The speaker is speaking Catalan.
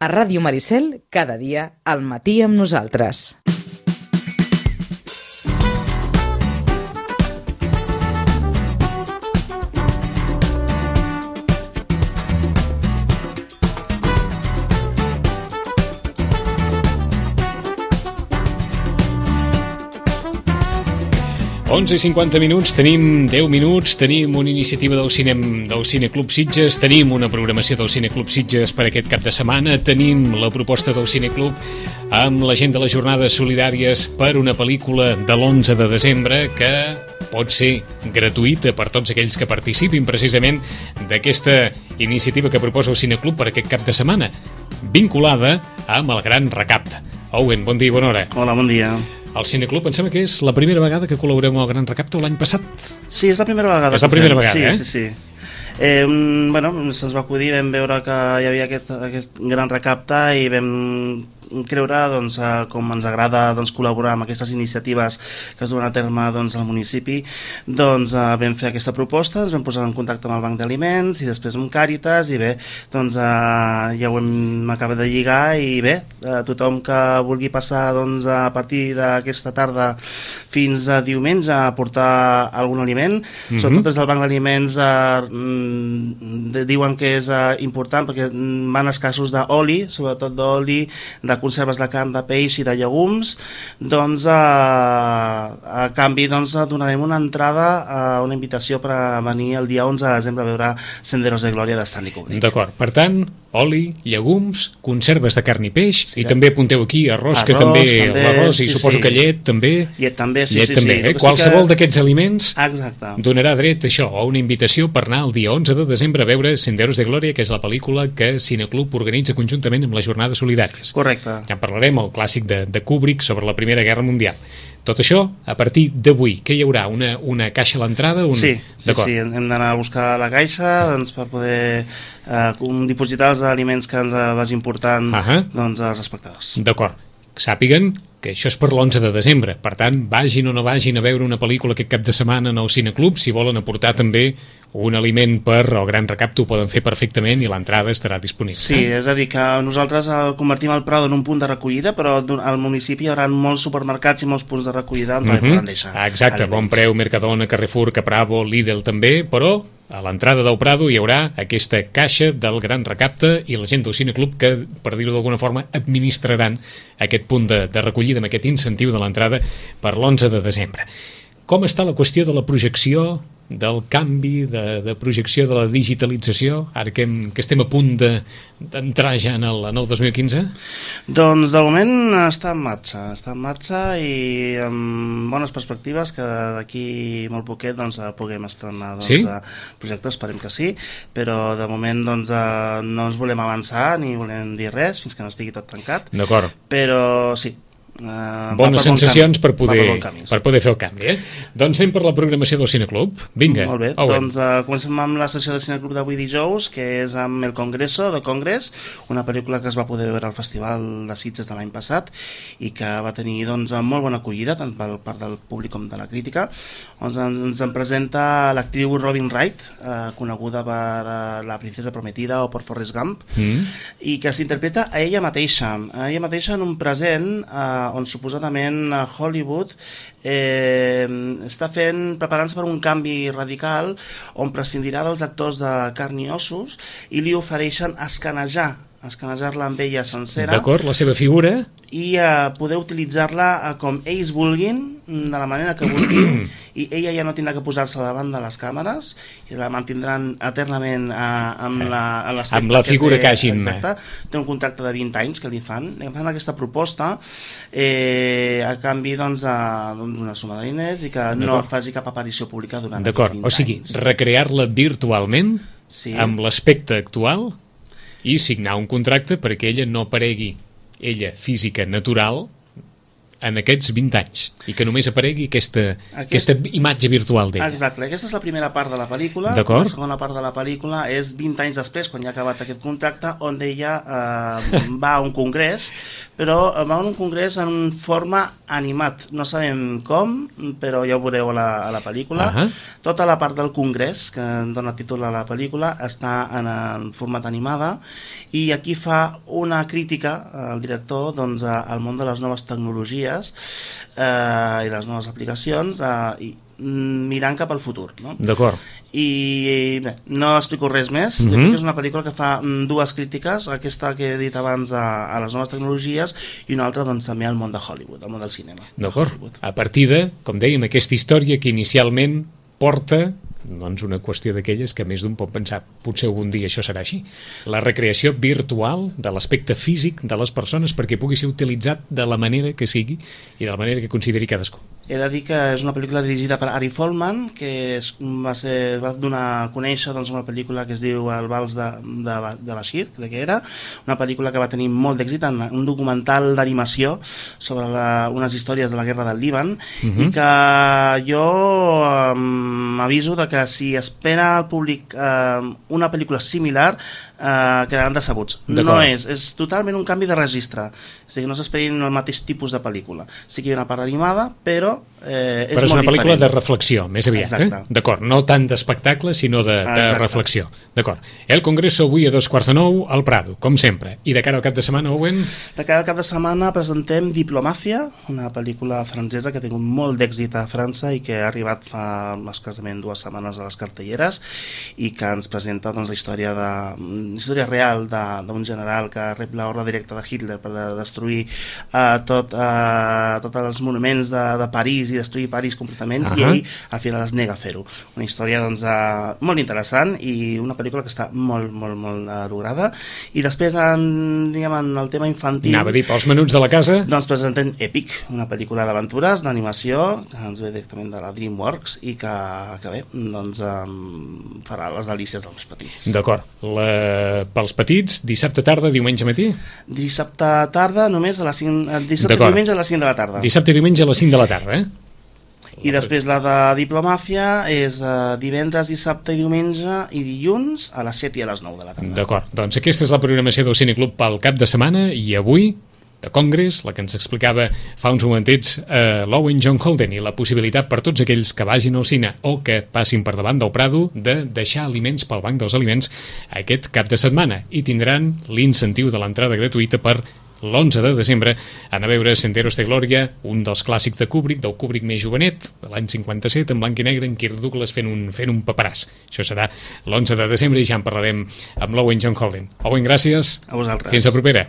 A Ràdio Maricel, cada dia, al matí amb nosaltres. I 50 minuts, tenim 10 minuts, tenim una iniciativa del Cineclub Sitges, tenim una programació del Cineclub Sitges per aquest cap de setmana, tenim la proposta del Cineclub amb la gent de les jornades solidàries per una pel·lícula de l'11 de desembre que pot ser gratuïta per tots aquells que participin precisament d'aquesta iniciativa que proposa el Cineclub per aquest cap de setmana, vinculada amb el Gran Recapte. Owen, bon dia i bona hora. Hola, bon dia. El Cineclub, em sembla que és la primera vegada que col·laborem amb el Gran Recapte l'any passat. Sí, és la primera vegada. És la primera vegada, sí, Sí. Se'ns va acudir, vam veure que hi havia aquest Gran Recapte i vam creure com ens agrada col·laborar amb aquestes iniciatives que es duen a terme al municipi. Vam fer aquesta proposta, ens vam posar en contacte amb el Banc d'Aliments i després amb Càritas i bé, ja ho hem acabat de lligar i bé, tothom que vulgui passar a partir d'aquesta tarda fins a diumenge a portar algun aliment, sobretot des del Banc d'Aliments diuen que és important perquè van escassos d'oli, sobretot d'oli, de conserves de carn, de peix i de llegums. A canvi donarem una entrada, una invitació per a venir el dia 11 de desembre a veure Senderos de Glòria de Stanley Kubrick. D'acord, per tant, oli, llegums, conserves de carn i peix, sí, i també apunteu aquí arròs, que també l'arròs, i suposo que llet també. Llet també, sí. Qualsevol d'aquests aliments exacte donarà dret a això, a una invitació per anar el dia 11 de desembre a veure Senderos de Glòria, que és la pel·lícula que Cineclub organitza conjuntament amb les jornades solidàries. Correcte. Ja en parlarem, el clàssic de Kubrick sobre la Primera Guerra Mundial. Tot això a partir d'avui. Què hi haurà? Una caixa a l'entrada? Sí, hem d'anar a buscar la caixa per poder dipositar els aliments que ens vagin portant als espectadors. D'acord. Sàpiguen que això és per l'11 de desembre. Per tant, vagin o no vagin a veure una pel·lícula aquest cap de setmana en el Cineclub, si volen aportar també un aliment per el Gran Recapte, ho poden fer perfectament i l'entrada estarà disponible. Sí, és a dir, que nosaltres convertim el Prado en un punt de recollida, però al municipi hi haurà molts supermercats i molts punts de recollida on poden deixar exacte, aliments. Bon Preu, Mercadona, Carrefour, Capravo, Lidl també, però a l'entrada del Prado hi haurà aquesta caixa del Gran Recapte i la gent del Cineclub que, per dir-ho d'alguna forma, administraran aquest punt de recollida amb aquest incentiu de l'entrada per l'11 de desembre. Com està la qüestió de la projecció, del canvi de projecció, de la digitalització, ara que estem a punt d'entrar ja en el 2015? Doncs de moment està en marxa i amb bones perspectives que d'aquí molt poquet puguem estrenar projectes, esperem que sí, però de moment no ens volem avançar ni volem dir res fins que no estigui tot tancat. D'acord. Però sí, bones sensacions per poder fer el canvi, Doncs anem per la programació del Cineclub. Vinga. Molt bé, comencem amb la sessió del Cineclub d'avui dijous, que és amb El Congreso, de Congress, una pel·lícula que es va poder veure al Festival de Sitges de l'any passat i que va tenir molt bona acollida tant per part del públic com de la crítica. Ens en presenta l'actriu Robin Wright, coneguda per La Princesa Prometida o per Forrest Gump, i que s'interpreta a ella mateixa en un present on suposadament Hollywood està preparant-se per un canvi radical on prescindirà dels actors de carn i ossos i li ofereixen escanejar-la amb ella sencera. D'acord, la seva figura. I poder utilitzar-la com ells vulguin, de la manera que vulguin, i ella ja no tindrà que posar-se davant de les càmeres i la mantindran eternament amb la figura que hagin. Exacte. Té un contracte de 20 anys que li fan aquesta proposta a canvi d'una suma de diners i que no faci cap aparició pública durant aquests 20 anys. O sigui, recrear-la virtualment amb l'aspecte actual i signar un contracte perquè ella no aparegui, ella física natural, en aquests 20 anys i que només aparegui aquesta imatge virtual d'ella. Exacte, aquesta és la primera part de la pel·lícula. D'acord. La segona part de la pel·lícula és 20 anys després, quan ja ha acabat aquest contracte, on ella va a un congrés, però va a un congrés en forma animat. No sabem com, però ja ho veureu a la pel·lícula. Tota la part del congrés, que dona títol a la pel·lícula, està en format animada, i aquí fa una crítica al director doncs, al món de les noves tecnologies i les noves aplicacions, mirant cap al futur, no? D'acord. I bé, no explico res més. Jo crec que és una pel·lícula que fa dues crítiques, aquesta que he dit abans a les noves tecnologies, i una altra doncs, també al món de Hollywood, al món del cinema. D'acord. A partir de, com dèiem, aquesta història que inicialment porta doncs una qüestió d'aquelles que més d'un pot pensar potser algun dia això serà així. La recreació virtual de l'aspecte físic de les persones perquè pugui ser utilitzat de la manera que sigui i de la manera que consideri cadascú. He de dir que és una pel·lícula dirigida per Ari Folman, que va donar a conèixer doncs, una pel·lícula que es diu El vals de Bashir, crec que era, una pel·lícula que va tenir molt d'èxit, un documental d'animació sobre unes històries de la guerra del Líban, i que jo m'aviso de que si espera al públic una pel·lícula similar quedaran decebuts. No és totalment un canvi de registre, és a dir, no s'esperin el mateix tipus de pel·lícula. Sí que hi ha una part animada, però és una pel·lícula de reflexió, més aviat. D'acord, no tant d'espectacle, sinó de reflexió. D'acord. El Congreso avui a 8:45 al Prado, com sempre. I de cara al cap de setmana, Owen? De cara al cap de setmana presentem Diplomacia, una pel·lícula francesa que ha tingut molt d'èxit a França i que ha arribat fa escassament 2 setmanes a les cartelleres i que ens presenta doncs, la història real d'un general que rep l'ordre directa de Hitler per destruir tots els monuments de París i destruir París completament, i ell al final es nega a fer-ho. Una història doncs, molt interessant i una pel·lícula que està molt lograda. I després en el tema infantil, anava a dir, pels menuts de la casa, doncs presentem Epic, una pel·lícula d'aventures, d'animació, que ens ve directament de la DreamWorks i que bé, doncs farà les delícies dels més petits. D'acord. Pels petits, dissabte tarda, diumenge matí? Dissabte tarda, només a les 5... Dissabte i diumenge a les 5 de la tarda. Dissabte i diumenge a les 5 de la tarda, I després la de Diplomacia és divendres, dissabte i diumenge i dilluns a les 7 i a les 9 de la tarda. D'acord, doncs aquesta és la programació del Cineclub pel cap de setmana, i avui de Congress, la que ens explicava fa uns momentets l'Owen John Holden, i la possibilitat per tots aquells que vagin al cine o que passin per davant del Prado de deixar aliments pel banc dels aliments aquest cap de setmana, i tindran l'incentiu de l'entrada gratuïta per l'11 de desembre anar a veure Senderos de Glòria, un dels clàssics de Kubrick, del Kubrick més jovenet, de l'any 57, en blanc i negre, en Kirk Douglas fent un paperàs. Això serà l'11 de desembre i ja en parlarem amb l'Owen John Holden. Owen, gràcies. A vosaltres. Fins la propera.